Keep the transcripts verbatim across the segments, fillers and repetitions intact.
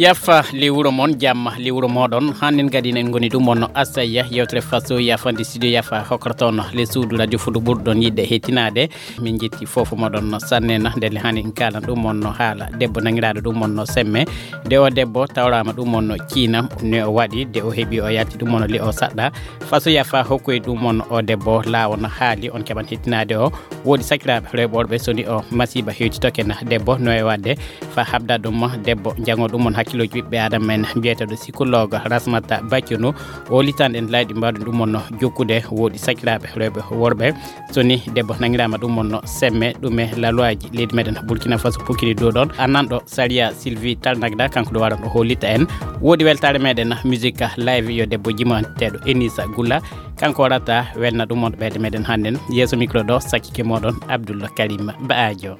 Yafa le wuro mon, jamma le wuro moɗon. Hannden kadi en ngoni ɗum on no Asaya yewtere faso yafande studio yafa hokkata on le suudu radio fudu ɓurɗon yiɗde hettinaade. Min jetti fofo moɗon no sanne na ndelle hani en kaalan ɗum on no haala debbo nangiraaɗo ɗum on no semme. De o debbo tawraama ɗum on no ciina ne o waɗi de o heɓi o yalti ɗum on no le o saɗɗa. Faso yafa hokkoy ɗum on o debbo laawo no haali on keɓan hettinaade o. Woodi sakiraaɓe rewɓe worɓe soni o masiiba hewtitoke na debbo no e waɗde fa habda ɗum debbo jango ɗum on hakkilooji ɓiɓɓe adama en mbiyeteeɗo psychologue Rasmata Baccunu. O litan en layɗi mbaɗu ɗum on jokkude woodi sakiraaɓe rewɓe worɓe soni debbo nangirama ɗum on semme ɗume lalwaji leydi meɗen Burkina Faso pukini dow ɗon. Annanɗo Saria Sylvie Talnagda kanko ɗo waran o hollita en. Woodi weltare meɗen musique live yo debbo jimanteɗo Enisa Gulla. Kanko warata welna ɗum on ɓeyde meɗen hannden. Yeeso micro ɗo sakkike moɗon Abdullah Karim Baajo.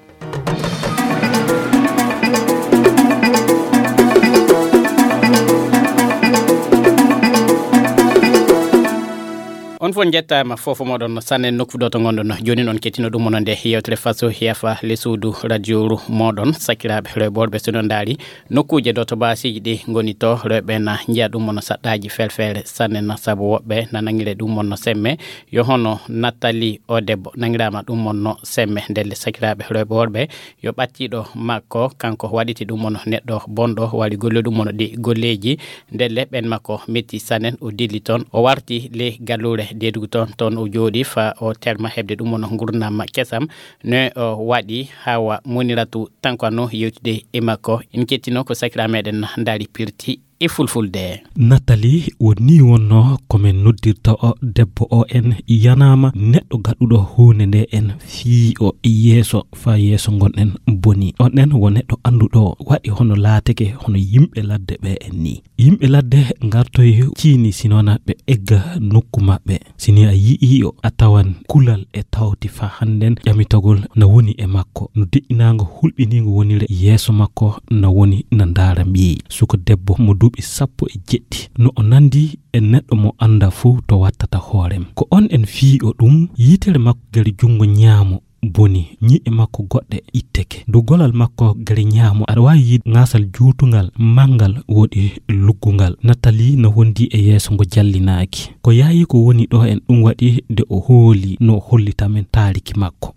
On fof njettaama fofo moɗon sanne nokku ɗo to ngonɗon. Jooni noon kettino ɗum onon nde yewtere faso yafa le suudu radio ru moɗon sakiraaɓe rewɓe worɓe so ɗon ndaari nokkuuje ɗo to baasiiji ɗi ngoni to rewɓe na njiya ɗum onon saɗɗaaji felfeere sanne na sabu woɓɓe na nangire ɗum onon semme. Yo hono Nathalie o debbo nangiraama ɗum onon semme ndelle sakiraaɓe rewɓe worɓe. Yo ɓattiɗo makko kanko waɗiti ɗum on neɗɗo bonɗo wari golle ɗum on ɗi golleji. Ndelle ɓen makko metti sanen o dilli toon o warti ley gallure deedugu toon toon o jooɗi fa o terma heɓde ɗum on gurdam kesam. Ne o waɗi hawa moniratu tankano yewtude e makko. En kettino ko sakira meɗen ndaari pirti e fulfulde. Nathalie, woni wonno ko min noddirta o debbo o en yanama neɗɗo gaɗuɗo hunde nde en fii o yeeso fa yeeso ngonɗen boni. On en wo neɗɗo annduɗo waɗi hono laateke hono yimɓe ladde ɓe en ni. Yimɓe ladde ngartoy ciini sinona ɓe egga nokku maɓɓe. Sini a yi'i o a tawan kulal e tawti fa hannden ƴamitagol na woni e makko. No deƴƴinaango hulɓiniingo wonire yeeso makko na woni na ndaara mbiyi. Suka debbo mo duuɓi sappo e jeɗɗi. No o nandi e neɗɗo mo annda fuu to wattata hoorem. Ko on en fii o ɗum yitere makko gari junngo ñaamo boni ñi'e makko goɗɗe itteke. Dow golal makko gari ñaamo aɗa waawi yiide ŋaasal juutungal manngal woɗi luggungal. Natali no wondi e yeeso ngo jallinaaki. Ko yaayi ko woni ɗo en ɗum waɗi de o hooli no hollita men taariki makko.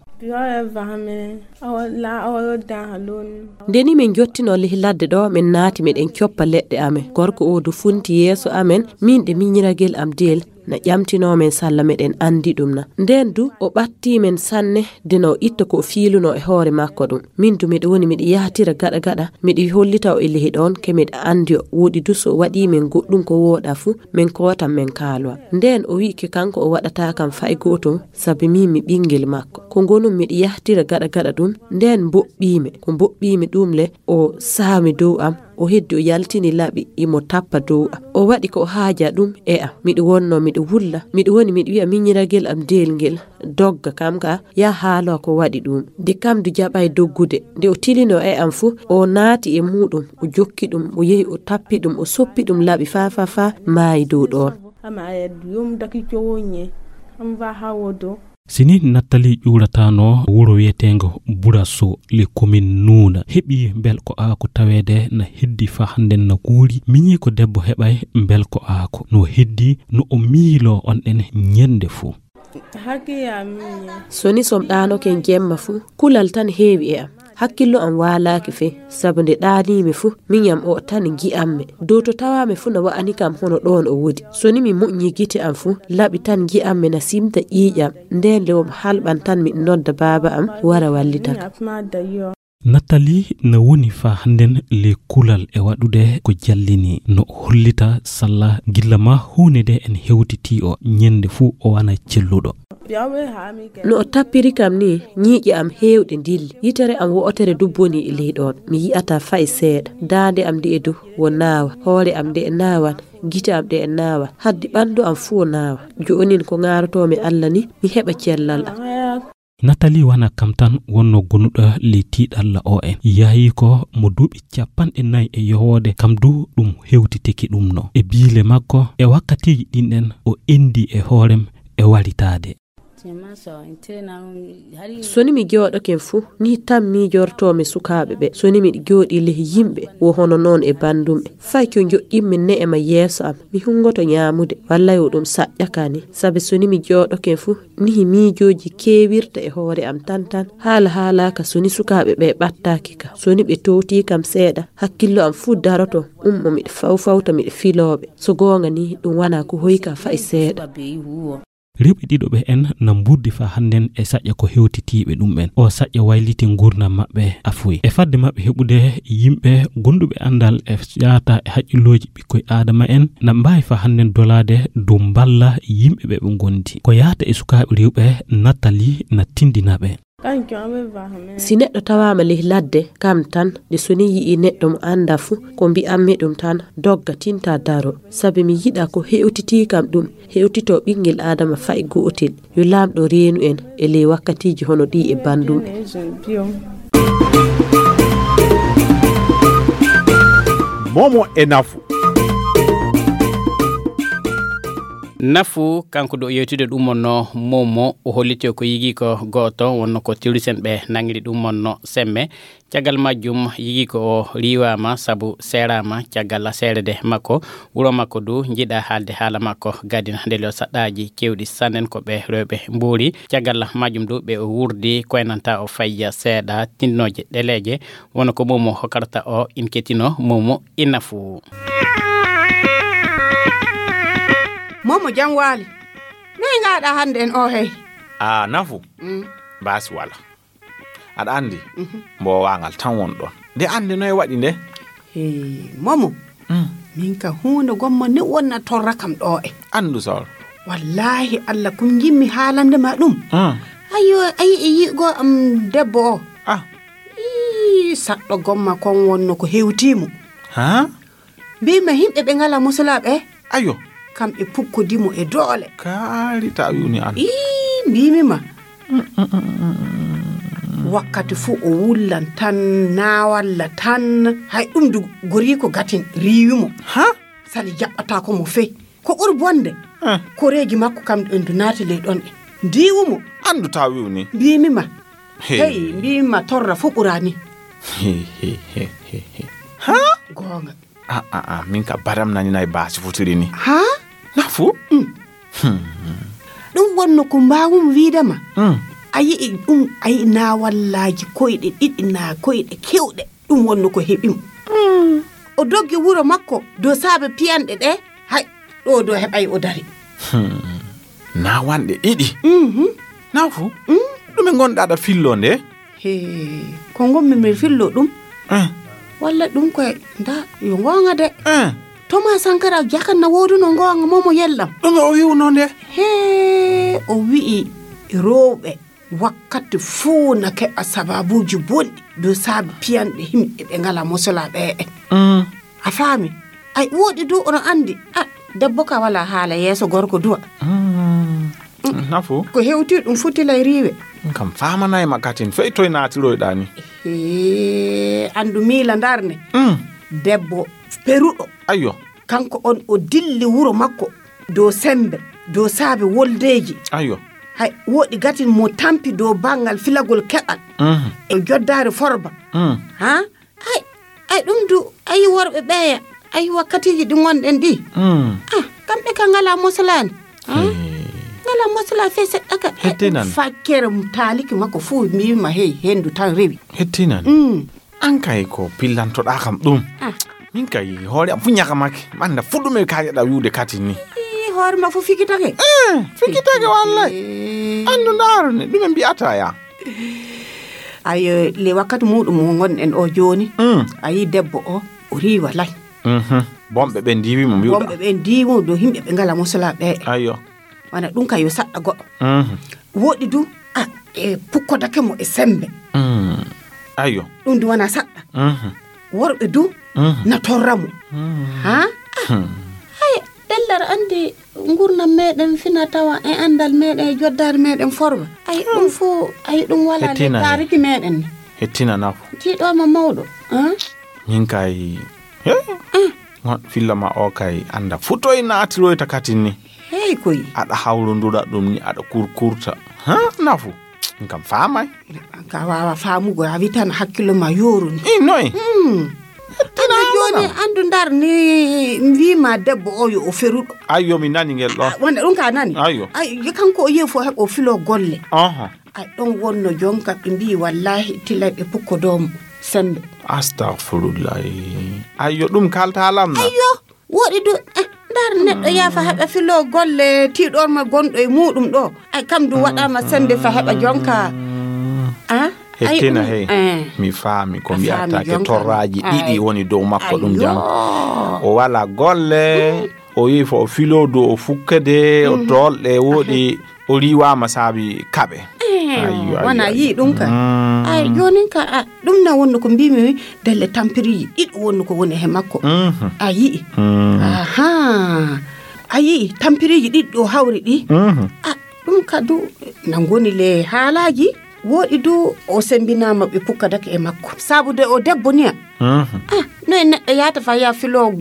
Ndeni min jottino lih ladde ɗo min naati miɗen coppa leɗɗe amen. Gorko o du funti yeeso amen min ɗe miñiragel am deel na ƴamtinoo men salla meɗen anndi ɗum na. Ndeen du o ɓattii men sanne de na o itta ko o fiilunoo e hoore makko ɗum. Min du miɗo woni miɗo yahtira gaɗa gaɗa miɗo hollita o e lehi ɗoon ke miɗo anndi o woɗi du so o waɗii men goɗɗum ko wooɗa fuu min kootan min kaalowa. Ndeen o wi'i ke kanko o waɗataa kam fay gooto sabi min mi ɓinngel makko. Ko ngonum miɗo yahtira gaɗa gaɗa ɗum ndeen mboɓɓii mi ko mboɓɓii mi ɗum le o saami dow am. O heddi o yaltini laɓi imo tappa dow am. O waɗi ko o haaja ɗum e am. Miɗo wonno miɗo wulla. Miɗo woni miɗo wi'a miñiragel am deelngel dogga kam ka ya haalo ko waɗi ɗum. De kam du jaɓay doggude. Nde o tilino e am fu o naati e muɗum o jokki ɗum o yehi o tappi ɗum o soppi ɗum laɓi fa fa fa maayi dow ɗoon. Ama ayadu yom daki cowo nye. Am va hawodo. Sini Nattali ƴuuratano wuro wiyeteengo Buraso le commune Nuuna heɓi mbel ko aako taweede na heddi fa hannden na kuuri miñi ko debbo heɓay mbel ko aako no heddi no o miiloo on ɗen ñennde fuu. Soni som ɗaanoken jemma fuu kulal tan heewi e am. Hakkillo am waalaaki fey sabu nde ɗaaniimi fuu miñam o tan ngi'ammi dow to tawaami fuu na wa'ani kam hono ɗoon o wodi. Soni mi moƴƴi gite am fuu laɓi tan ngi'ammi na simta ƴiiƴam. Ndeen le wo mi halɓan tan miɗo nodda baaba am wara wallita kam. Natali na woni faa hannden le kulal e waɗude ko jallini no hollita salla gilla ma huunde nde en hewtitii o ñennde fuu o wana celluɗo. No o tappiri kam ni ñiiƴe am heewɗe ndilli yitere am wo'otere du boni e ley ɗoon mi yi'ataa fay seeɗa daande am nde'e du wo naawa hoore am nde'e naawan gite am ɗe'e naawa haddi ɓanndu am fuu naawa. Jo'onin ko ŋaarotoomi Alla ni mi heɓa cellal am. Natali wana kam tan wonno gonuɗo ley tiiɗalla o en yahi ko mo duuɓi capanɗe nayi e yowoode kam du ɗum hewtitiki ɗum no e biile makko e wakkatiiji ɗin ɗen o endi e hoorem e waritaade. So ni mi jooɗoken fuu, ni tan miijortoomi sukaaɓe ɓe. So ni miɗo jooɗii ley yimɓe, wo hono noon e banndumɓe. Fay ko njoƴƴinmi ne'e ma yeeso am, mi hunngoto ñaamude, wallay wo ɗum saƴƴa ka ni. Sabi so ni mi jooɗoken fuu, nihi miijooji keewirta e hoore am tan tan. Haala haalaaka so ni sukaaɓe ɓe ɓattaaki ka. So ni ɓe toowtii kam seeɗa, hakkillo am fuu daroto, ummo miɗo fawfawta miɗo filooɓe. So goonga ni, ɗum wanaa ko hoyka fay seeɗa. Rewɓe ɗiɗo ɓe en na mburdi faa hannden e saƴƴa ko hewtitiiɓe ɗum en. O saƴƴa wayliti nguurndam maɓɓe afuy. E fadde maɓɓe heɓude yimɓe gonduɓe anndal e yaata e haqqillooji ɓikkoy Aadama en, na mbaawi faa hannden dolaade dow mballa yimɓe ɓe ɓe ngondi. Ko yaata e sukaaɓe rewɓe Natali na tindina ɓe. Si neɗɗo tawaama ley ladde, kam tan, de so ni yi'ii neɗɗo mo anndaa fu, ko mbi'ammi ɗum tan, dogga, tinta, daro. Sabi mi yiɗaa ko hewtitii kam ɗum, hewtitoo ɓinngel Aadama fay gootel. Yo Laamɗo reenu en e ley wakkatiiji hono ɗii e banndum en. Momo e Nafu. Nafu, kanko ɗo yewtude ɗum wonno Momo, o holliti ko yigiiko gooto, wonno ko terroriste en ɓe nangiri ɗum wonno Semme. Caggal majjum, yigiiko o riiwaama sabu seeraama caggal seerede makko. Wuro makko du njiɗaa haalde haala makko gadina, nde leo saɗɗaaji keewɗi sannen ko ɓe rewɓe mbuuri. Caggal majjum du ɓe o wurdi koynanta o fayya seeɗa tindinooje ɗeleeje. Wonno ko Momo hokkarta o, in ketino Momo e Nafu. Momo, jam waali. Noy ngaaɗaa hannde en o hey? A, Nafu. Mm. Baasi wala. Aɗa anndi, mhm, mboowaangal tan won ɗon. Nde anndi noy waɗi nde? Hee, Momo. Mm. Min ka huunde gomma ni wonna torra kam ɗo e. Anndu sawro. Wallaahi Allah, ko njimmi haalande ma ɗum. Mm. Ayo, ayi e yi'go am debbo o. Ah. Ii, saɗɗo gomma kon wonno ko hewtii mo. Ha? Mbiimi ma yimɓe ɓe ngalaa musulaaɓe. Ayo. Kamɓe pukkodi mo e doole. Kaari ta wi'uni an. Ii, mbiimi ma. Mm, mm, mm, mm, mm. Wakkati fuu o wullan tan, naawalla tan. Hay ɗum du goriiko gatin riiwi mo. Ha? Sali jaɓɓataako mo fey. Ko ɓuri bonde. Eh. Koreeji makko kam en du naati ley ɗon e. Ndiiwu mo. Anndu ta wi'uni. Mbiimi ma. Hey. Hey, mbiimi ma torra fuu ɓuraani. He, he, he, he, he. Ha? Goonga. A, a, a, min ka baram nani nay baasi futiri ni. Ha? Nafu? Mm. Hmm. Ɗum wonno ko mbaawumi wiide ma. Mm. A yi'i ɗum, a yi'i naawallaaji koyɗe ɗiɗi naa koyɗe kewɗe. Ɗum wonno ko heɓi mo. Mm. O doggi wuro makko dow saabe piyanɗe ɗe, hay ɗo dow heɓay o dari. Hmm. Naawanɗe ɗiɗi? Mhm. Nafu? Mm. Ɗume ngonɗa aɗa fillo nde? He, ko ngonmi mi fillo ɗum. Eh. Walla ɗum koye, nda, yo ngoonga de. Eh. Thomas Sankara jakan na wooduno ngoonga mo mo yellam. Ɗume o wi'uno nde? He, o wi'i rewɓe wakkati fuu na keɓa sababuuji bonɗi dow saabi piyanɗe yimɓe ɓe ngalaa mosolaa ɓe en. Mm. A faami? Ay, wooɗi du, ono anndi. Ah, debbo ka walaa haala yeeso gorko duwa. Mm. Nafu? Ko hewti ɗum futilay riiwe. Kam faamanay ma katin, fey toy naatiroyɗaa ni? Hee, anndu miila ndarne. Mm. Debbo peruɗo. Ayyo. Kanko on o dilli wuro makko dow semmbe, dow saabe woldeeji. Ayyo. Hay, wooɗi gatin mo tampi dow banngal filagol keɓal. Mhm. E joddaare forba. Mm. Ha? Ay, ay, ɗum du, ayi worɓe ɓeeya, ayi wakkatiiji ɗi ngonɗen ɗi. Mm. Ah, kamɓe ka ngalaa moslaani. Ha? Hee. Ngalaa moslaa fey seɗɗa ka. Hettinan. Fakkere taaliki makko fuu, mbiimi ma hey, henndu tan rewi. Hettinan. Mm. An kay ko pillantoɗaa kam ɗum. Ah. Min kay hoore am fuu ñakamake. Manda fuu ɗume kaajaɗaa wi'ude katin ni. Ii, hoore ma fuu fikitake. Eh, fikitake wallay. Eh. Anndu ndaaru ni, ɗume mbi'ataa ya? Ayo, le wakkati muɗum mo ngonɗen o jooni. Mm. A yi debbo o, o riiwa lay. Mhm. Bonɓe ɓen ndiiwi mo mbi'uɗaa. Bonɓe ɓen ndiiwi mo dow yimɓe ɓe ngalaa moslaa ɓe. Ayo. Wana ɗum ka yo saɗɗa goɗɗo. Mhm. Wooɗi du, a, e pukkodake mo e semmbe. Mm. Ayo. Ɗum du wana saɗɗa. Mhm. Worɓe du, mhm, na torra mo. Mm. Ha? Hmm. Ay, ɗellar anndi ngurnam meɗen fina tawa e anndal meɗen e joddaari meɗen forba. Ay, ɗum fuu, ay, ɗum walaa le taariki meɗen ni. Hettina nafu. Tiiɗo ma mawɗo. Ha? Min kay, he? Ah. Ngon filla ma o kay annda fuu toy naatiroyta katin ni. Eyi koy. Aɗa hawrondura ɗum ni, aɗa kurkurta. Ha, nafu. Ɗum kam faamay. Ka waawa faamugo, a wi tan hakkillo ma yooruni. I noy? Hmm. Tina Andu jooni, wona. Andu ndar ni, mi wi ma debbo o yo o feruɗo. Ayyo, mi nani ngel ɗon. Ah, wonde ɗum ka nani? Ayyo. Ay, yo kanko o yehi fo heɓo filo golle. Aha. Ay, ɗon wonno jonka ɓe mbi wallahi tilay ɓe pukko doom sembe. Astaghfirullah. Ayyo, ɗum kalta lam na. Ayyo, woɗi du, eh, ndar neɗɗo yafa heɓa filo golle tiɗor ma gonɗo e muɗum ɗo. Ay, kam du waɗama sembe fa heɓa jonka. Ah? Ay, hettina ɗum, hey. Eh. Mi faami ko a faami mbiyata ke jonka. Torraji ay. Ɗiɗi woni dow makko ɗum jam. Ayyo. O wala golle, mm. O yi fo o filo dow o fukkede, o mm. Tolɗe woɗi, o riwama saabi kaɓe. Eh, ayyo, ayyo, wona ayyo. Yi ɗum ka. Mm. Ay, jonin ka, a, ɗum na wonno ko mbimi delle tampiriji ɗiɗo wonno ko woni he makko. Mhm. A yi'i. Mm. Aha. A yi'i tampiriji ɗiɗo hawri ɗi. Mhm. A, ɗum ka du na ngoni le haalaji. Woɗi du o sembinama ɓe pukkadake e makko. Sabu de o debbo niya. Mhm. A, no e neɗɗo yata fa ya filo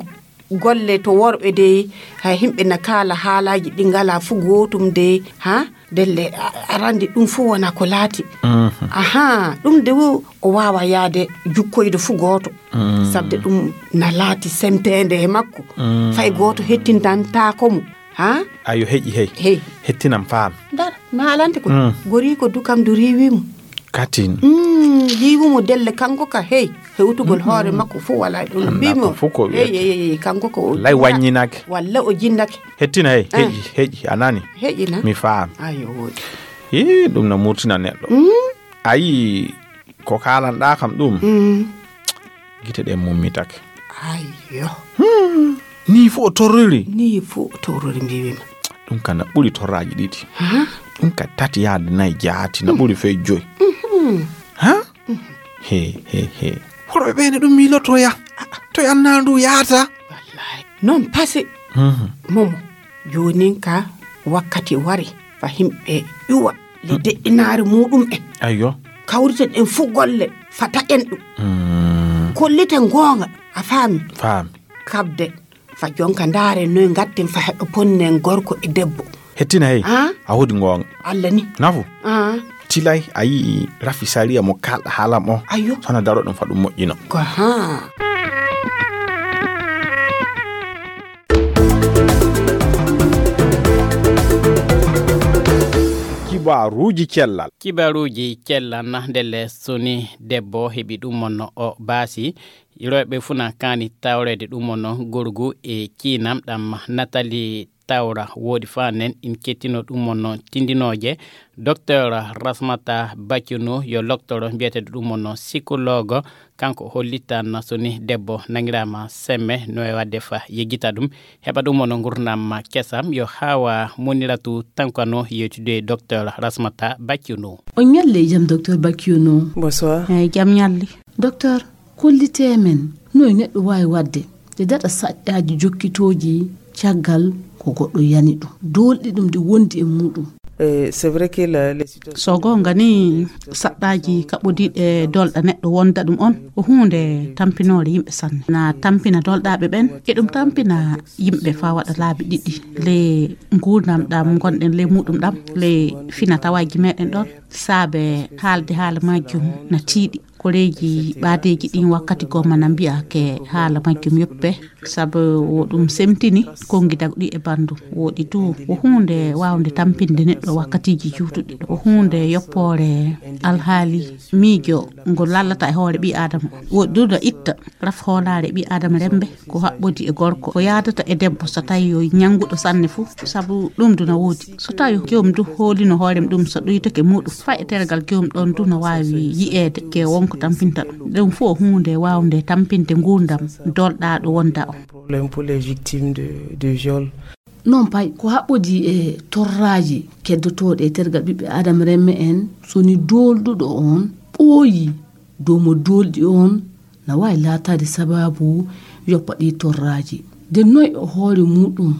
golle to worɓe dey, hay himɓe na kaala haalaaji ɗi ngala fu gootum dey, ha? Delle, a, arande ɗum fu wona ko laati. Mhm. Aha, ɗum de wo, o waawa yaade jukkoyde fu gooto. Mm. Sabde ɗum na laati sempeende e makko. Mm. Fay gooto hettindantaako mo. Ha? Ayo, heƴi, hey. Hey. Hettinam faam. Ndar, mi haalante ko. Mm. Goriiko du kam du riiwi mo. Katin. Mm, yiwu mo delle kanko ka, hey, hewtugol hoore makko fu wala ɗum. Anda mbimi ko o, fu ko hey, wiyete. Hey, hey, hey, kanko ko o lay jinnaki. Wanyinake. Walla o jinnake. Hettina, hey, eh. Heƴi, heƴi, a nani? Heƴi na? Mi faam. Ayo, woodi. Ii, ɗum na murtina neɗɗo. Mm. A yii ko kaalanɗaa kam ɗum? Mm. Gite ɗen mummitake. Ayyo. Hmm. Nii fu o torriri? Nii fu o torriri, mbiwima. Ɗum ka na ɓuri torraaji ɗiɗi. Ha? Ɗum ka tati yaade nayi jaati, na ɓuri fey joyi. Mhm. Ha? Mhm. He, he, he. Worɓe ɓe ne ɗum miilotoya. To annaa ndu yaata. Wallahi. Non pase. Mhm. Momo, jonin ka wakkati wari fa himɓe ƴuwa le deɗɗinaare muɗum en. Ayyo. Kawriten en fu golle fa taƴen ɗum. Mm. Kolliten goonga, a faami? Faami. Kabde fa jonka ndaare noy ngatten fa heɓa ponnen gorko e debbo. Hettina hey. Ah? A woodi goonga. Allah ni. Nafu? Ah. Tilay a yi'i rafi sariya mo kalɗa haalam o. Ayyo. Sona daro ɗum fa ɗum moƴƴino. Ko ha. Kibaruuji cellal. Kibaruuji cellal na ndelle soni debbo heɓi ɗum on o baasi. Rewɓe fuu na kaani tawreede ɗum on gorgu e ciinam ɗam Natali Tawra woodi faa nen in kettino ɗum on tindinooje. Docteur Rasmata Bacunu yo loktoro mbiyeteeɗo ɗum on psychologue. Kanko hollitan soni debbo nangiraama semme no e waɗde fa yeggita ɗum. Heɓa ɗum on ngurnam kesam yo haawa Muniratu Tankano yewtude docteur Rasmata Bacunu. On ñalle e jam, docteur Bacunu. Bonsoir. Eyi, jam ñalli. Docteur, kollitee men no e neɗɗo waawi waɗde de daɗa saɗɗaaji jokkitooji caggal ko goɗɗo yani ɗum, doolɗi ɗum ɗi wondi e muɗum. Eh, c'est vrai que la, les situations So goonga ni, saɗɗaaji kaɓɓodiiɗe doolɗa neɗɗo wonda ɗum on, ko huunde tampinoore yimɓe sanne. Na tampina doolɗaaɓe ɓen, e ɗum tampina yimɓe faa waɗa laabi ɗiɗi, le nguurndam ɗam ngonɗen le muɗum ɗam, le fina tawaaji meɗen ɗon. Saabe haalde haala majjum na tiiɗi. Koreeji ɓaadeeji ɗin wakkati goo mana mbi'a ke haala majjum yoppe, sabu wo ɗum semtini konngi dagɗi e banndum. Woɗi du, wo huunde waawnde tampinde neɗɗo wakkatiiji juutuɗi. Wo huunde yoppoore alhaali miijo ngo lallata e hoore ɓii Aadama. Woɗi du no itta raf hoolaare ɓii Aadama remmbe. Ko haɓɓodi e gorko, ko yaadata e debbo so tawi yo ñannguɗo sanne fuu, sabu ɗum du na woodi. So tawi joom du hoolino hoore mum ɗum so ɗuytake muɗum, faa e tergal joom ɗon du na waawi yi'eede ke wonko tampinta ɗum. Ɗum fof huunde waawnde tampinde nguurndam dolɗaaɗo wonda o. Problème pour les victimes de, de viol. Non pay, ko haɓɓodi e torraaji keddotooɗi e tergal ɓiɓɓe Aadama remme en, so ni doolɗuɗo on ɓooyi dow mo doolɗi on, na waawi laataade sabaabu yoppa ɗi torraaji. De noy o hoore muɗum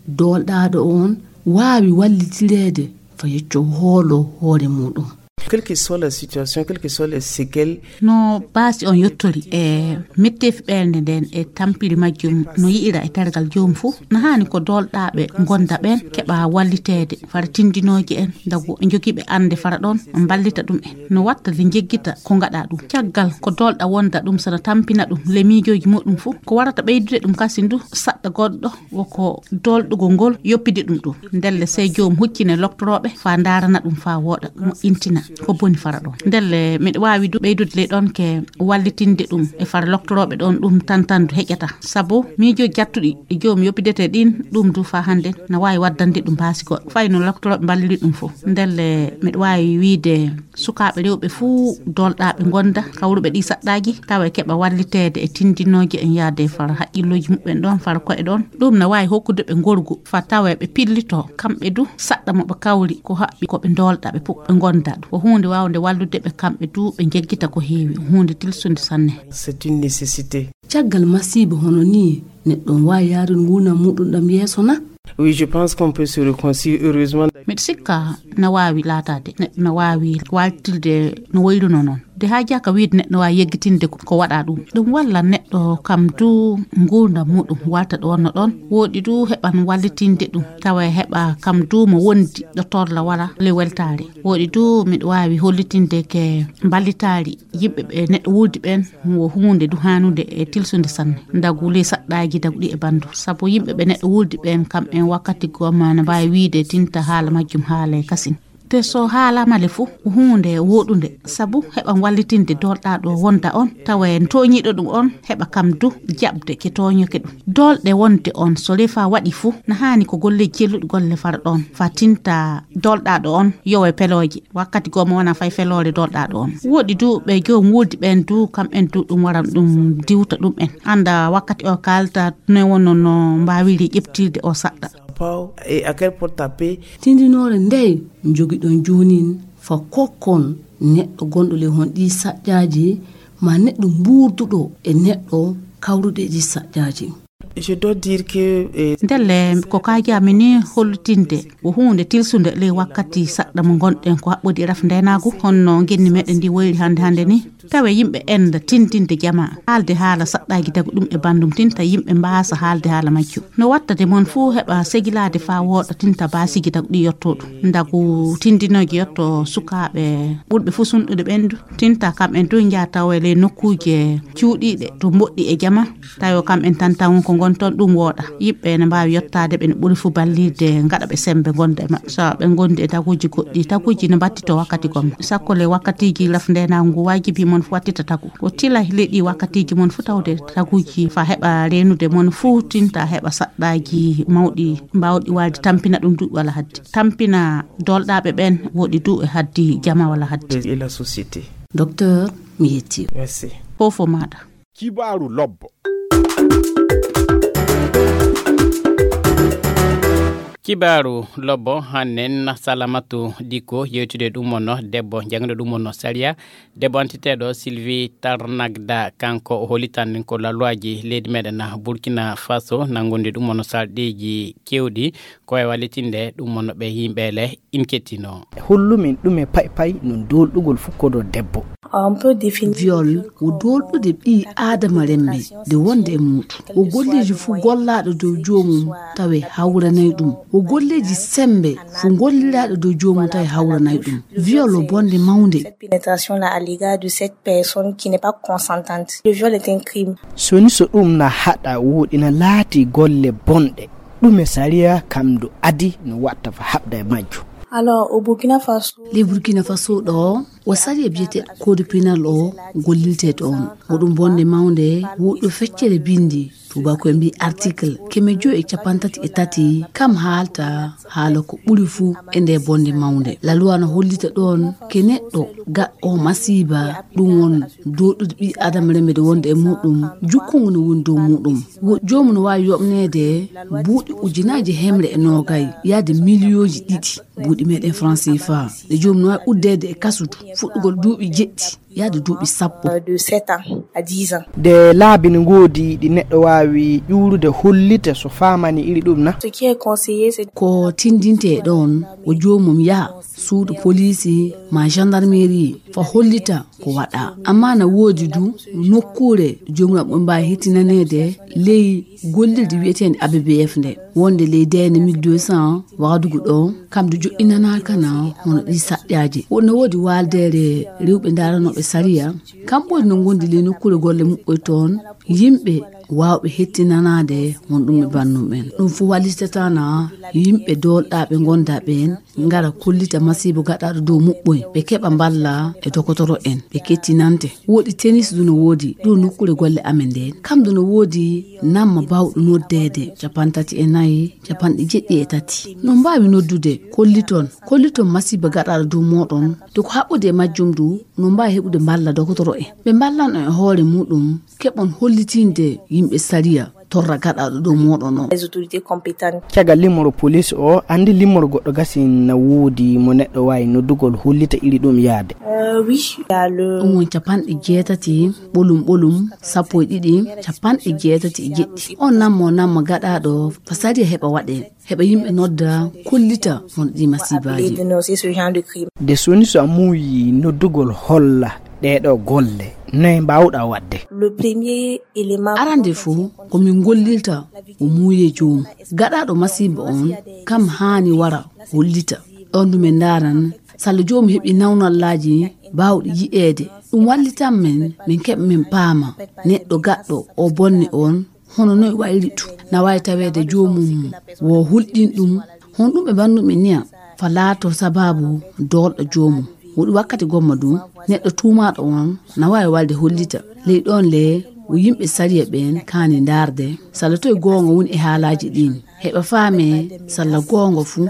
doolɗaaɗo on waawi wallitireede fa yecco hoolo hoore muɗum? Quelle que soit la situation, quelles que soient les séquelles. No baasi on yottori e metteefi ɓernde nden e tampiri majjum no yi'ira e tergal joom fuu, na haani ko doolɗaaɓe ngonda ɓen keɓa walliteede fara tindinooje en, ndagu e jogiiɓe annde fara ɗon mballita ɗum en. No watta de njeggita ko ngaɗa ɗum. Caggal ko doolɗa wonda ɗum, sana tampina ɗum le miijooji muɗum fuu, ko warata ɓeydude ɗum kasin du saɗɗa goɗɗo woko doolɗugol ngol yoppidi ɗum ɗum. Ndelle sey joom huccine loktorooɓe faa ndaarana ɗum faa wooɗa, moƴƴintina ko boni fara ɗon. Ndelle miɗo waawi du ɓeydude ley ɗon ke wallitinde ɗum e fara loktorooɓe ɗon ɗum tantandu heƴata. Sabu miijooji jattuɗi e joom yoppidete ɗin ɗum du faa hannde na waawi waddande ɗum baasi goɗɗo. Fay no loktorooɓe mballiri ɗum fof. Ndelle miɗo waawi wiide sukaaɓe rewɓe fuu doolɗaaɓe ngonda kawruɓe ɗi saɗɗaaji tawa e keɓa walliteede e tindinooje en yaade fara haqqillooji muɓɓen ɗon fara ko'e ɗon. Ɗum na waawi hokkude ɓe ngorgu fa tawa ɓe pillito kamɓe du saɗɗa mo ɓe kawri ko haɓɓi ko ɓe doolɗa ɓe puɓɓe ngonda ɗum. Ko huunde waawnde wallude ɓe kamɓe du ɓe njeggita ko heewi. Huunde tilsunde sanne. C'est une nécessité. Caggal masiiba hono nii, neɗɗo on waawi yaarude nguurndam muuɗum ɗam yeeso na? Oui, je pense qu'on peut se réconcilier heureusement. Miɗo sikka na waawi laataade, neɗɗo na waawi waaltirde no woyrunoo noon. De haajaaka wiide neɗɗo waawi yeggitinde ko, ko waɗa ɗum. Ɗum walla neɗɗo kam du nguurndam muuɗum waalta ɗo wonno ɗoon. Wooɗi du heɓan wallitinde ɗum, tawa e heɓa kam du mo wondi ɗo torla wala le weltaare. Wooɗi du miɗo waawi hollitinde ke mballitaari yimɓe ɓe neɗɗo wuldi ɓeen wo huunde du haanude e tilsude sanne. Ndagu ley saɗɗaaji daguɗi e banndu. Sabu yimɓe ɓe neɗɗo wuldi ɓeen kam en wakkati gomma na mbaawi wiide tinta haala majjum haala e kasin. Te so haalaama le fuu, ko huunde wooɗunde, sabu heɓa wallitinde doolɗaaɗo wonda on, tawa en tooñiiɗo ɗum on, heɓa kam du jaɓde ke tooñoke ɗum. Doolɗe wonde on, so refa waɗi fuu, na haani ko golleeji celluɗi golle fara ɗoon, fa tinta doolɗaaɗo on yowe pelooje. Wakkati goo mo wona fay feloore doolɗaaɗo on. Wooɗi du ɓe joom wuldi ɓeen du, kam en du ɗum wara ɗum diwta ɗum en. Annda wakkati o kaalta ne wonno no mbaawiri ƴeɓtirde o saɗɗa. Paw, et à quelle porte taper? Tindinoore ndey njogiɗon joonin fa kokkon neɗɗo gonɗo ley hon ɗii saƴƴaaji, ma neɗɗo mbuurduɗo e neɗɗo kawruɗo e ɗii saƴƴaaji? Je dois dire que, eh, Ndelle, ko kaajaami ni hollitinde ko huunde tilsunde ley wakkati saɗɗa mo ngonɗen ko haɓɓodi e raf ndeenaagu, honno ngenni meɗen ndi woyri hannde hannde ni. Tawe yimɓe enda tindinde jamaa, haalde haala saɗɗaaji dagu ɗum e banndum tinta yimɓe mbaasa haalde haala majjum. No wattade mon fuu heɓa segilaade faa wooɗa tinta baasiiji dagu ɗi yotto ɗum. Ndagu tindinooji yotto sukaaɓe ɓurɓe fuu sunɗude ɓendu. Tinta kam en du njaha tawa e ley nokkuuje cuuɗiiɗe to mboɗɗi e jama. Tawi o kam en tan tawon ko ngon toon, ɗum wooɗa. Yimɓe ene mbaawi yottaade ɓe no ɓuri fuu ballirde, ngaɗa ɓe semmbe ngonda e maɓɓe. So ɓe ngondi e taguuji goɗɗi, taguuji no mbattitoo wakkati gomma. Sakko le wakkatiiji raf ndeenaagu ngu waajibi mon fuu wattita tagu. Ko tila leɗɗi wakkatiiji mon fuu tawde taguuji fa heɓa reenude mon fuu tinta heɓa saɗɗaaji mawɗi mbaawɗi waade tampina ɗum duuɓi walla haddi. Tampina doolɗaaɓe ɓeen wooɗi du e haddi jama walla haddi. Et la société. Docteur, mi yetti. Merci. Fof o maaɗa. Kibaaru lobbo. Kibaaru lobbo hannen Salamatu Dikko yewtude ɗum wonno debbo jangɗo ɗum wonno sariya, debbo antiteeɗo Sylvie Tarnagda, kanko o holitan ko lalluwaaji leydi meɗen Burkina Faso nangude ɗum wonno sarɗiiji kewɗi ko e wallitinde ɗum wonno ɓe yimɓe le in kettino. Hollumin ɗum e pay pay no doolɗugol fukkodo debbo. On peut définir viol ko doolɗude ɓii aadama remɓe de wonde e muuɗum. Ko golleeji fuu gollaaɗo dow joomum tawe hawranay ɗum. Ko golleeji semmbe fuu golliraaɗo dow joomum tawe hawranay ɗum. Viol o bonde mawnde. Cette pénétration-là à l'égard de cette personne qui n'est pas consentante. Le viol est un crime. So ni so ɗum na haɗa wooɗi na laati golle bonɗe. Ɗume sariya kam ndu adi no watta fa haɓda e majju? Alors, au Burkina Faso. Ley Burkina Faso ɗo, o sariya biyeteeɗo Code pénal o gollirte ɗoon. Ko ɗum bonde mawnde, woɗɗo feccere binndi, tuubaaku en mbii article keme joyi e capantati e tati, kam haalta haala ko ɓuri fuu e nde bonde mawnde. Laluwa no hollita ɗoon ke neɗɗo gaɗɗo masiiba, ɗum won doolɗude ɓii aadama remede wonde e muuɗum, jukkungu no woni dow muuɗum. Wo-, joomum no waawi yoɓneede buuɗi ujunaaji hemre e noogay, yaade miliyooji ɗiɗi buuɗi meɗen franc C F A. Nde joomum no waawi uddeede e kasudu, fuɗɗugol duuɓi jeɗɗi, yaade duuɓi sappo. De sept ans à dix ans. De laabi no ngoodi ɗi neɗɗo waawi ƴuurude hollita so faamani iri ɗum na? Ce qui est conseillé, c'est ko tindinte e ɗoon, o joomum yaha suudu poliisi, ma gendarmerie, fa hollita ko waɗa. Amma na woodi du nokkuure jomiraɓe ɓe mbaawi hettinaneede ley gollirde wiyeteende A B B F nde, wonde ley D N mille deux cents Wagadugu ɗo, kam du joɗɗinanaaka na hono ɗi saɗɗaaji. Wonno woodi waaldeere rewɓe ndaranooɓe sariya, kam ɓuri no ngondi ley nokkuure golle muɓɓoy toon, yimɓe waawɓe hettinanaade won ɗum e bannum en. Ɗum fof wallitata na yimɓe doolɗaaɓe ngondaa ɓeen ngara kollita masiibo gaɗaaɗo dow muɓɓoy, ɓe keɓa mballa e dokotoro en, ɓe kettinante. Woodi tenis du no woodi ɗo nokkuure golle amen ndeen. Kam du no woodi namma baawɗo noddeede capanɗe tati e nayi, capanɗe jeɗɗi e tati. No mbaawi noddude, kolliton, kolliton masiiba gaɗaaɗo dow mooɗon. De ko haɓɓude e majjum du, no mbaawi heɓude mballa dokotoro en. Ɓe mballan on e hoore muɗum, keɓon hollitinde yimɓe sariya torra gaɗaaɗo dow mooɗon on. Les autorités compétentes. Caggal limmoro police o, anndi limmoro goɗɗo gasi na woodi mo neɗɗo waawi noddugol hollita iri ɗum yaade. Euh, oui, il y a le Ɗum won capanɗe jeetati, ɓolum ɓolum, sappo e ɗiɗi, capanɗe jeetati e jeɗɗi. On nammo nammo gaɗaaɗo, fa sariya heɓa waɗe, heɓa yimɓe nodda, kollita hono ɗi masiibaaji. Appeler, dénoncer ce genre de crime. De soni so a muuyi noddugol holla ɗee ɗoo golle, noye mbaawɗaa waɗde? Le premier élément. Arande fof, ko min gollirta ko muuye joomum. Gaɗaaɗo masiiba on, kam haani wara hollita. Ɗoon du min ndaaran, salla joomum heɓi nawnallaaji baawɗi yi'eede. Ɗum wallitan min, min keɓa min paama neɗɗo gaɗɗo o bonne on, hono noye wayri ɗum. Na waawi taweede joomum wo hulɗin ɗum, hono ɗum ɓe mbanndumi niya, fa laato sabaabu doolɗo joomum. Woɗi wakkati gomma du, neɗɗo tuumaaɗo on na waawi walde hollita. Ley ɗoon le, wo yimɓe sariya ɓeen kaani ndaarde, salla toye goonga woni e haalaaji ɗiin. Heɓa faame, salla goonga fuu,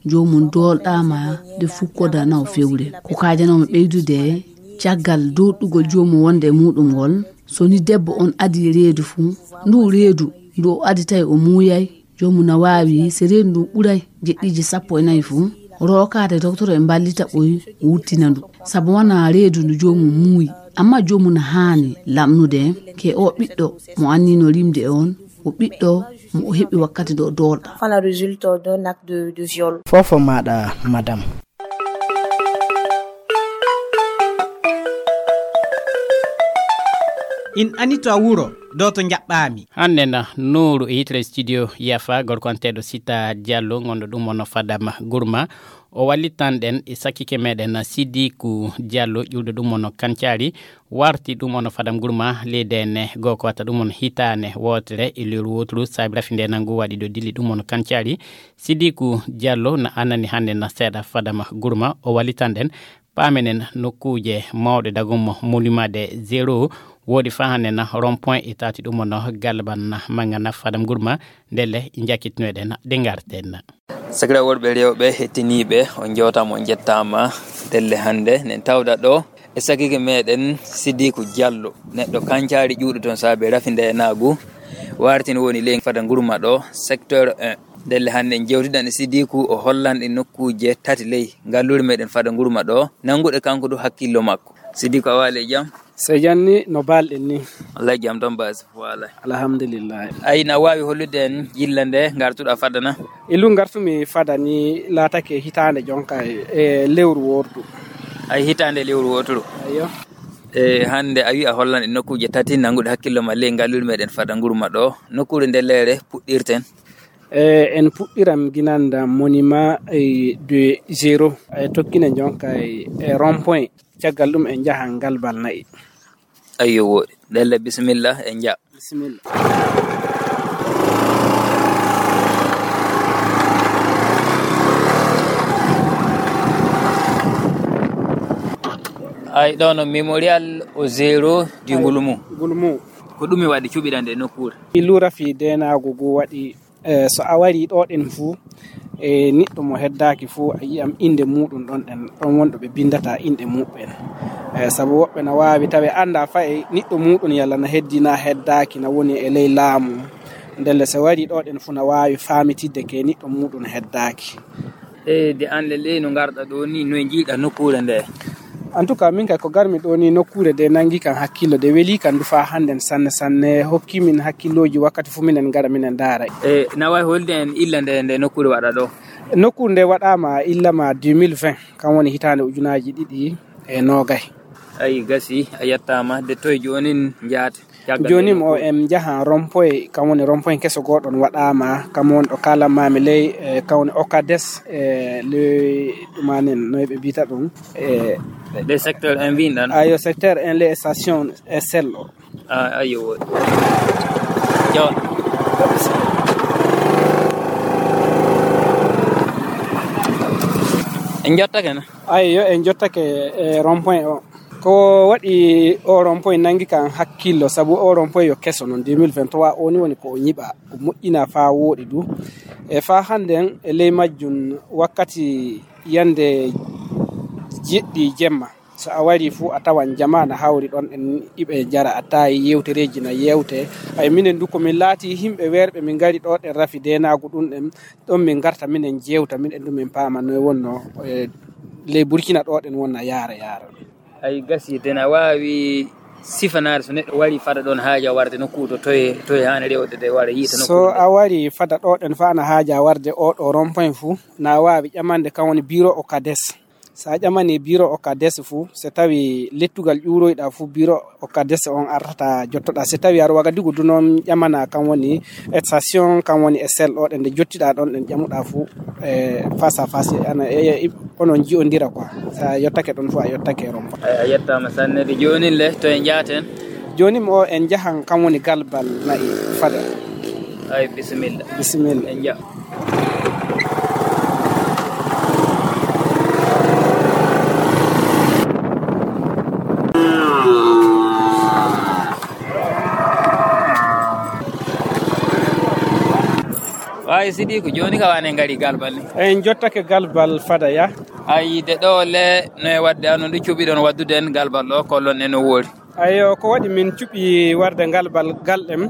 joomum doolɗaama de fukkoda naw fewre. Ko kaajanoomi ɓeydude, caggal doolɗugol joomum wonde e muɗum ngol, so ni debbo on adii reedu fuu, ndu reedu ndu o adii tawi o muuyay, joomum na waawi, so reedu ndu ɓuray jeɗɗiiji sappo e nayi fuu, rookaade doktoro e mballita ɓoy wurtina ndu. Sabu wonaa reedu ndu joomum muuyi, amma joomum na haani lamnude ke o ɓiɗɗo mo annino rimde on, o ɓiɗɗo mo o heɓi wakkati ɗo doolɗa. Enfin, la résulte d'un acte de, de viol. Fofo maɗa, madame. In ani to a wuro, do to njaɓɓaami. Hannde na Nuuru e yitere studio Yafa, gorko anteeɗo Sita Diallo, ngonɗo ɗum ono Fadama Gurma. O wallitan ɗen e sakkike meɗen Sidiku Diallo, ƴuwɗo ɗum ono Kancari, warti ɗum ono Fadam Gurma, leydi ene goo ko wata ɗum ono hitaane wootere e lewru wooturu, saabi rafi nde nangu waɗi ɗo dilli ɗum ono Kancari. Sidiku Diallo na anani hannde na seeɗa Fadama Gurma, o wallitan ɗen. Paamenen nokkuuje mawɗe dagum monument de zéro woodi faa hannde na rond point e taati ɗum ono Galban na manga na Fadam Gurma, ndelle njakkitinoɗen de ngarten. Sakiraaɓe worɓe rewɓe hettiniiɓe, on njewtaama, on njettaama. Ndelle hannde nen tawda ɗo e sakiike meɗen Sidiku Diallo, neɗɗo Kancari ƴuwɗo toon saabe rafi nde naagu. Wartin woni ley Fadam Gurma ɗo, secteur un. Ndelle hannde en jewtidan e Sidiku, o hollan ɗe nokkuuje tati ley ngalluure meɗen Fadam Gurma ɗo, nanguɗe kanko du hakkillo makko. Sidiku, a waali e jam? So janni no balɗen ni. Wallahi jam tan baasi fof waalay. Alhamdulillah. Ay, na waawi hollude en yilla nde ngartuɗa Fadana? E lu ngartumi Fadani laatake hitaande jonka e, e lewru wordu. Ay, hitaande lewru wooturu. Ayyo. E hannde a wi a hollan e nokkuuje tati nanguɗe hakkillo ma ley ngalluure meɗen Fadam Gurma ɗo. Nokkuure nde leere puɗɗirten. E, en puɗɗiran ginanda monument, e, de zéro. E, tokkinen jonka e, e rond point. Caggal ɗum en njahan Galbal Na'i. Ayyo, wooɗi. Ndelle, bisimilla, en njaha. Bisimilla. Ay, ɗo no mémorial au zéro du Gulmu. Gulmu. Ko ɗum mi waɗi cuɓiɗan e nokkuure. Illu rafi denaago go waɗi. E, so a warii ɗo ɗen fuu, e, niɗɗo mo heddaaki fuu, a yi'am innde muuɗum ɗon ɗen, ɗon wonɗo ɓe binndata inɗe muɓɓen. E, sabu woɓɓe na waawi tawi annda fay niɗɗo muuɗum yalla na heddii na heddaaki, na woni e ley laamu. Ndelle so warii ɗo ɗen fuu na waawi faamitidde ke niɗɗo muuɗum heddaaki. E, de an le ley no ngarɗa ɗo ni, no e njiiɗa nokkuure nde? En tout cas, min kay ko garmi ɗo ni, nokkuure de nangi kan hakkillo, de weli kan du faa hannden sanne sanne, hokki min hakkillooji wakkati fu minen ngara minen ndaara. E, na waawi holde en illa nde, nde nokkuure waɗa ɗo? Nokkuure nde waɗaama illa ma deux mille vingt, kam woni hitaande ujunaaji ɗiɗi e noogay. Ayi, gasi, a yettaama. De toye joonin njaate? Caggal jooni nde o nokkuure. En njaha rond-point, kam woni rond-point keso gooɗon waɗaama, kam woni ɗo kaalanmaami ley, e kam woni Ocades, e ley ɗumanen, no ɓe mbiyata ɗum, e le secteur un mbiyɗon? Ayo, secteur un, les stations S L o. Ah, ayo, woodi. Yo. En njottake na? Ayo, en njottake e rond-point o. Ko waɗi o rond-point nanngi kan hakkillo, sabu o rond-point yo keso noon, deux mille vingt-trois o ni woni ko o ñiɓa, o moƴƴina faa wooɗi du. E faa hannden e ley majjum wakkati yande jeɗɗi jemma, so a warii fuu a tawan jamaa na hawri ɗon, en iɓe njara attaaye, yewtereeji na yewte. Ay minen du ko min laati yimɓe weerɓe, min ngari ɗo ɗen rafi deenaagu ɗum ɗen, ɗon min ngarta minen jewta, minen du min paama noy wonno, e ley Burkina ɗo ɗen wonna yaara yaara. Ay, gasi, den a waawi sifanaade so neɗɗo warii fada ɗon haaja warde nokku to toye, toye haani rewde de wara yiita nokku so ɗum? A warii fada ɗo ɗen faa na haaja warde o ɗo rond-point fuu, na waawi ƴamande kam woni bureau Ocades. So a ƴamanii bureau Ocades fuu, so tawi lettugal ƴuuroyɗaa fuu, bureau Ocades on artata jottoɗaa. So tawi aɗa Wagadigu du noon, ƴamana kam woni station, kam woni S L o ɗen, nde jottiɗaa ɗon ɗen ƴamuɗaa fuu, e face à face, ana, e, e, onon ji'ondira quoi. So a yottake ɗon fuu, a yottake rond-point. Ay, a yettaama sanne de. Joonin le, to en njaaten? Joonin o en njahan kam woni Galbal Na'i fada. Ay, bisimilla. Bisimilla. En nja. Waawi Sidiku, jooni ka wane ngari Galbal ni? En jottake Galbal fada ya. Ayi, de ɗo le, no e wadde, ano ndu cuɓiɗon waddude en Galbal ɗo, kollon en no woori. Ayo, ko waɗi min cuɓi warde Galbal gal ɗem,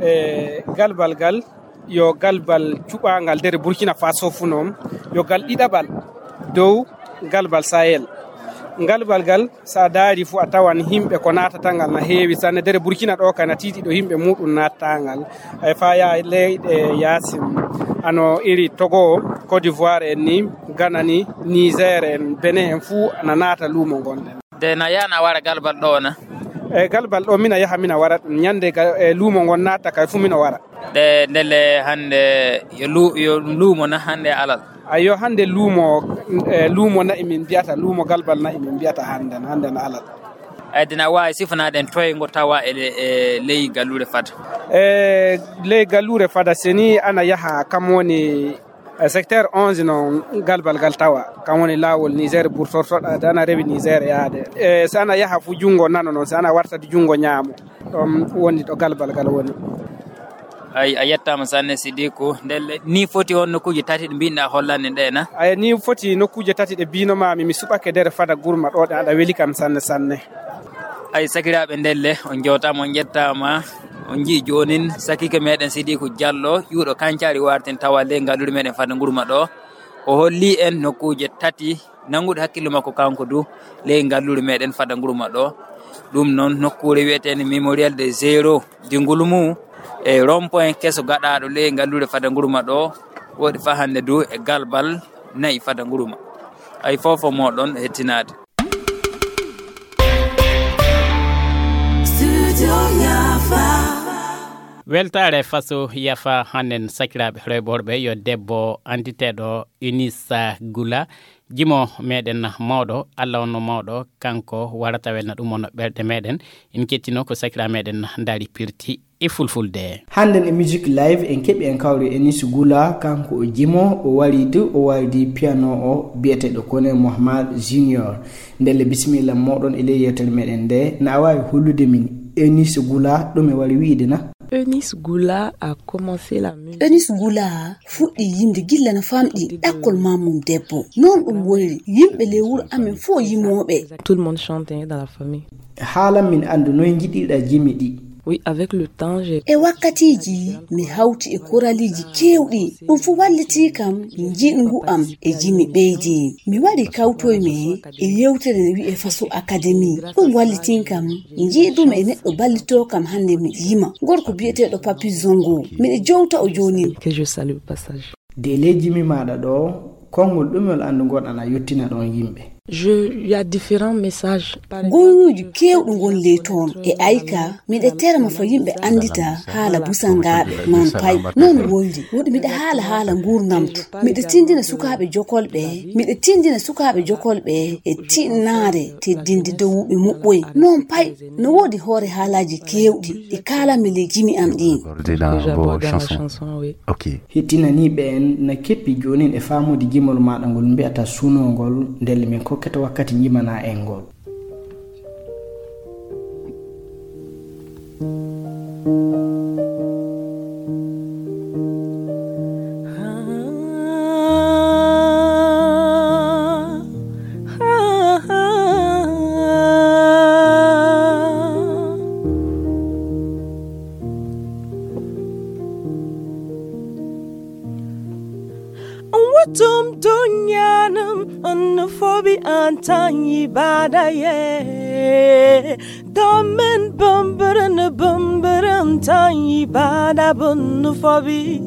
e Galbal gal, yo Galbal cuɓaangal nder Burkina Faso fuu noon, yo gal ɗiɗaɓal dow Galbal Sahel. Galbal gal, so a daari fuu, a tawan yimɓe ko naatata ngal na heewi sanne. Nder Burkina ɗo kay na tiiɗi ɗo yimɓe muuɗum naatata ngal. Ay faa yaa leyɗe yaasin, ano iri Togo, Côte d'Ivoire en ni, Ghana ni, Niger en, Benin en fuu na naata luumo ngon ɗen. De na yaha na wara Galbal ɗo na? E Galbal ɗo mina yaha mina wara ɗum. Ñande ga-, e luumo ngon naata kay fuu mino wara. De ndelle hannde yo lu-, yo luumo na hannde alal? Ayo, hannde luumo, e luumo na'i min mbiyata, luumo Galbal na'i min mbiyata hannde, hannde na alal. Ay, dina waawi sifanaade en toye ngo tawa e le-, e ley galluure fada? E ley galluure fada, seni ana yaha kam woni e secteur onze noon Galbal gal tawa, kam woni laawol Niger burtortoɗa, de ana rewi Niger yaade. E so ana yaha fu junngo nano noon, so ana warta di junngo ñaamo, ɗon woni ɗo Galbal gal woni. Ay, a yettaama sanne, Sidiku. Ndelle, ni foti on nokkuuje tati ɗe mbinɗa hollande ɗe na? Ay, ni foti nokkuuje tati ɗe bino maami, mi suɓake nder fada gurma ɗo, ɗe aɗa weli kam sanne, sanne. Ay, sakiraaɓe, ndelle, on njewtaama, on njettaama. On njii joonin, sakiike meɗen Sidiku Jallo, ƴuuɗo Kancari wartin tawa ley ngalluure meɗen fada gurma ɗo. O holli en nokkuuje tati nannguɗe hakkillo makko kanko du ley ngalluure meɗen fada gurma ɗo. Ɗum noon nokkuure wiyeteende Mémorial des Héros du Ngulmu e rond-point keso gaɗaaɗo ley ngalluure fada gurma ɗo. Woɗi faa hannde du e Galbal na'i fada gurma. Ay, fof fof moɗon hettinaade. Studio Yafa. Weltaare faso yafa hannden sakiraaɓe rewɓe worɓe yo debbo annditeeɗo Eunice Gula, jimo meɗen mawɗo, Allah on no mawɗo, kanko warata welna ɗum on ɓerɗe meɗen. En kettino ko sakiraaɓe meɗen ndaari pirti e fulfulde. Hannden e Music Live en keɓi en kawri Eunice Gula, kanko o jimo, o wari du, o wari di piano o biyeteeɗo Kone Mohamed Junior. Ndelle bisimilla moɗon e ley yewtere meɗen nde, na a waawi hollude min Eunice Gula ɗum e wari wiide na? Eunice Gula a commencé la musique. Eunice Gula fuɗɗi yimde gilla no famɗi ɗakkol mammum debbo. Noon ɗum woniri, yimɓe ley wuro amen fof yimooɓe. Tout le monde chante dans la famille. Haalan min anndu noy njiɗirɗa jimi ɗi? Oui, avec le temps, j'ai... E wakkatiiji, mi hawti e koraliiji keewɗi. Ɗum fof wallitii kam, njiɗngu am e jimi ɓeydi. Mi waɗi kawtoymi e yewtere ne wi'e Faso Academy. Ɗum wallitii kam, njiɗumi e neɗɗo ballitoo kam hannde miɗo yima. Gorko biyeteeɗo Papi Zongo. Miɗo jowta o joonin. Que je salue au passage. De ley jimi maaɗa ɗo, konngol ɗumol anndu ngonɗan a yottina ɗon yimɓe? Je, il y a différents messages. Goyruuji keewɗi ngon ley toon. E ayka, miɗa terma fa yimɓe anndita haala busangaaɓe, noon pay, noon woyri. Woɗi miɗa haala haala nguurndam to. Miɗa tinndina sukaaɓe jokolɓe, miɗa tinndina sukaaɓe jokolɓe e tiɗnaare teddinde dowuɓe muɓɓoy. Noon pay, no woodi hoore haalaaji keewɗi ɗi kaalanmi ley jimi am ɗin. Accordé dans vos chansons. Ok. Hettinaniiɓe en na keppi joonin e faamude jimol maaɗa ngol mbi'ata sunoo ngol, ndelle min kokkete wakkati njimana en ngol. Wutum dunyanim annufobi antanyi badaye. Domin bumburin bumburin tanyi bada bunnufobi.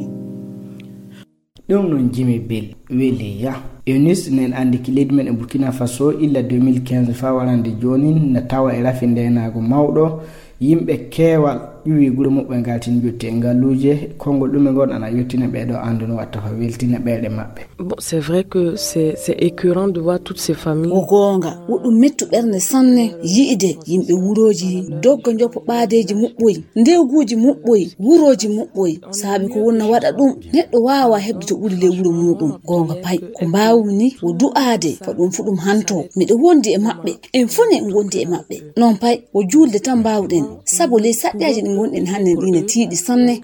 Ɗum noon jimi bel weli ya. Eunice nen anndi ki leydi men e Burkina Faso illa deux mille quinze faa warande joonin na tawa e rafi ndeenaagu mawɗo. Yimɓe keewal ƴuwi gure muɓɓe ngaltin jotti e ngalluuje. Konngol ɗume ngon ana yottina ɓeeɗo annduno watta fa weltina ɓeeɗe maɓɓe. Bon, c'est vrai que c'est, c'est écœurant de voir toutes ces familles. Ko goonga, woɗɗum mettu ɓernde sanne yi'ide yimɓe wurooji dogga njoppo ɓaadeeji muɓɓoy, ndewguuji muɓɓoy, wurooji muɓɓoy, saabi ko wonna waɗa ɗum, neɗɗo waawa heɓde to ɓuri ley wuro muuɗum. Goonga pay, ko mbaawmi ni wo du'aade, ko ɗum fu ɗum hanto. Miɗo wondi e maɓɓe, en fuu ne en ngondi e maɓɓe. Noon pay, wo juulde tan mbaawɗen, sabu ley saƴƴaaji ɗi ngonɗen hannden ɗi ne tiiɗi sanne.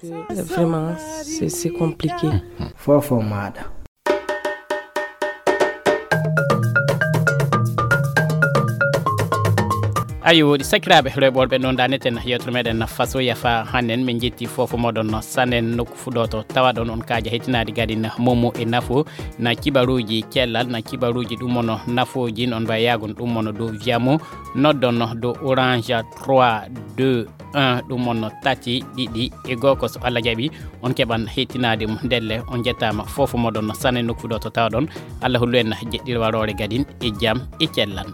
Vraiment, c'est, c'est compliqué. Fofo maaɗa. Ayo, woɗi sakiraaɓe rewɓe worɓe, ɗon daneten yewtere meɗen fasoya fa hannden. Min jetti fofo moɗon sannen nokku fuɗoto tawaɗon on kaaja hettinaade gadin momo e nafo na kibaruuji cellal, na kibaruuji ɗum on nafooji, non mbayagon ɗum on dow Viamo, noddon dow Orange trois deux un, ɗum on tati ɗiɗi e go'o. So Allah jaɓi, on keɓan hettinaade mum. Ndelle, on njettaama fofo moɗon sannen nokku fuɗoto tawaɗon. Allah hollu en jeɗɗirwaroore gadin e jam e cellal.